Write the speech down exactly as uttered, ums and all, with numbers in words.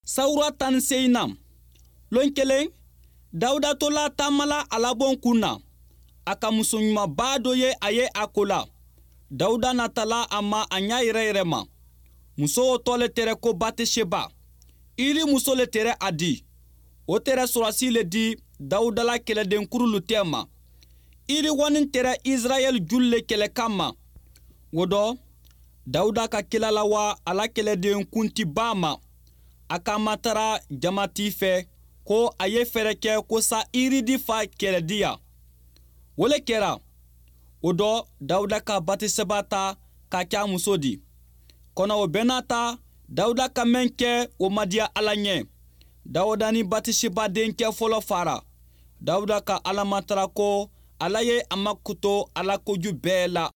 Sawura tan ni seyinan lon kelen, Dawuda tola taamala a la bon kun na, a ka muso ɲumanba dɔ ye. A ye a ko la, Dawuda natala a ma a ɲa yɛrɛ yɛrɛ ma. Muso o tɔ le tɛrɛ ko Bateseba, Iri muso le tɛrɛ a di. O tɛrɛ sɔrɔsi le di Dawuda la kɛlɛdenkurulu tɛ ma. Iri wani tɛrɛ Israɛl julu le kɛlɛ kama. O dɔ, Dawuda ka kila lawa a la kɛlɛden kuntiba ma, a ka matara jamati fɛ ko a ye fɛɛrɛ kɛ ko sa Iri di fa kɛlɛdiya. O le kɛra. O dɔ, Dawuda ka Batiseba ta k'a kɛ a muso di. Kɔnɔ o bɛɛ n'a ta, Dawuda ka mɛn kɛ, o ma diya Ala ɲɛ. Dawuda ni Batiseba denkɛ fɔlɔ fara. Dawuda ka Ala matara ko Ala ye a makoto a la koju bɛɛ la.